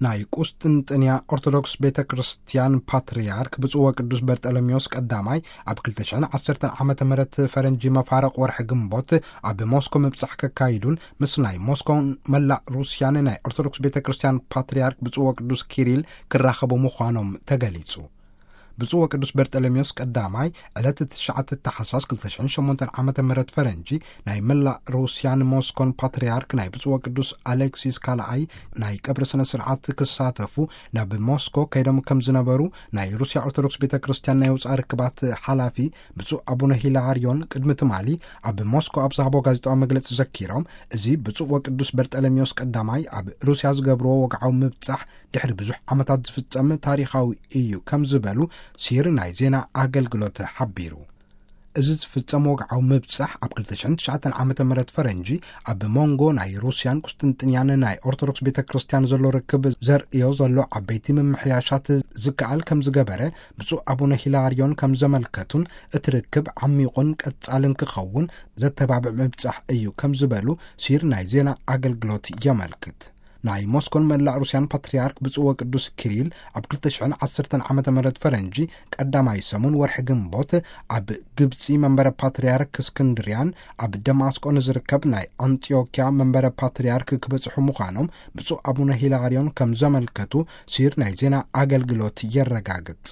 ናይ ቁስጥንጥንያ ኦርቶዶክስ ቤተ ክርስቲያን ፓትርያርክ ብፁዕ ወቅዱስ በርጠለሜዎስ ቀዳማይ ኣብ ክልተ ሽሕን ዓሰርተን ዓመተ ምህረት ፈረንጂ መፋረቕ ወርሒ ግንቦት ኣብ ሞስኮ ምብጻሕ ከካይዱን ምስ ናይ ሞስኮን መላእ ሩስያን ናይ ኦርቶዶክስ ቤተ ክርስቲያን ፓትርያርክ ብፁዕ ወቅዱስ ኪሪል ክራኸቡ ምዃኖም ተገሊጹ። ብፁዕ ወቅዱስ በርጠለሜዎስ ቀዳማይ ዕለት ትሽዓተ ታሕሳስ ክልተ ሽሕን ሸሞንተን ዓመተ ምህረት ፈረንጂ ናይ መላእ ሩስያን ሞስኮን ፓትርያርክ ናይ ብፁዕ ወቅዱስ ኣሌክሲስ ካልኣይ ናይ ቀብሪ ስነ ስርዓት ክሳተፉ ናብ ሞስኮ ከይዶም ከም ዝነበሩ ናይ ሩስያ ኦርቶዶክስ ቤተ ክርስቲያን ናይ ወጻኢ ርክባት ሓላፊ ብፁዕ ኣቡነ ሂላርዮን ቅድሚ ትማሊ ኣብ ሞስኮ ኣብ ዝሃቦ ጋዜጣዊ መግለጺ ዘኪሮም፣ እዚ ብፁዕ ወቅዱስ በርጠለሜዎስ ቀዳማይ ኣብ ሩስያ ዝገብርዎ ወግዓዊ ምብጻሕ ድሕሪ ብዙሕ ዓመታት ዝፍጸም ታሪኻዊ እዩ ከም ዝበሉ ሲር ናይ ዜና ኣገልግሎት ሓቢሩ። እዚ ዝፍጸም ወግዓዊ ምብጻሕ ኣብ ክልተ ሽሕን ትሽዓተን ዓመተ ምህረት ፈረንጂ ኣብ መንጎ ናይ ሩስያን ቁስጥንጥንያን ናይ ኦርቶዶክስ ቤተ ክርስቲያን ዘሎ ርክብ ዘርእዮ ዘሎ ዓበይቲ ምምሕያሻት ዝከኣል ከም ዝገበረ ብፁዕ ኣቡነ ሂላርዮን ከም ዘመልከቱን እቲ ርክብ ዓሚቑን ቀጻልን ክኸውን ዘተባብዕ ምብጻሕ እዩ ከም ዝበሉ ሲር ናይ ዜና ኣገልግሎት የመልክት። ናይ ሞስኮን መላእ ሩስያን ፓትርያርክ ብፁዕ ወቅዱስ ኪሪል ኣብ ክልተ ሽሕን ዓሰርተን ዓመተ ምህረት ፈረንጂ ቀዳማይ ሰሙን ወርሒ ግንቦት ኣብ ግብጺ መንበረ ፓትርያርክ እስክንድርያን ኣብ ደማስቆ ንዝርከብ ናይ ኣንጢዮኪያ መንበረ ፓትርያርክ ክበጽሑ ምዃኖም ብፁዕ ኣቡነ ሂላርዮን ከም ዘመልከቱ ሲር ናይ ዜና ኣገልግሎት የረጋግጽ።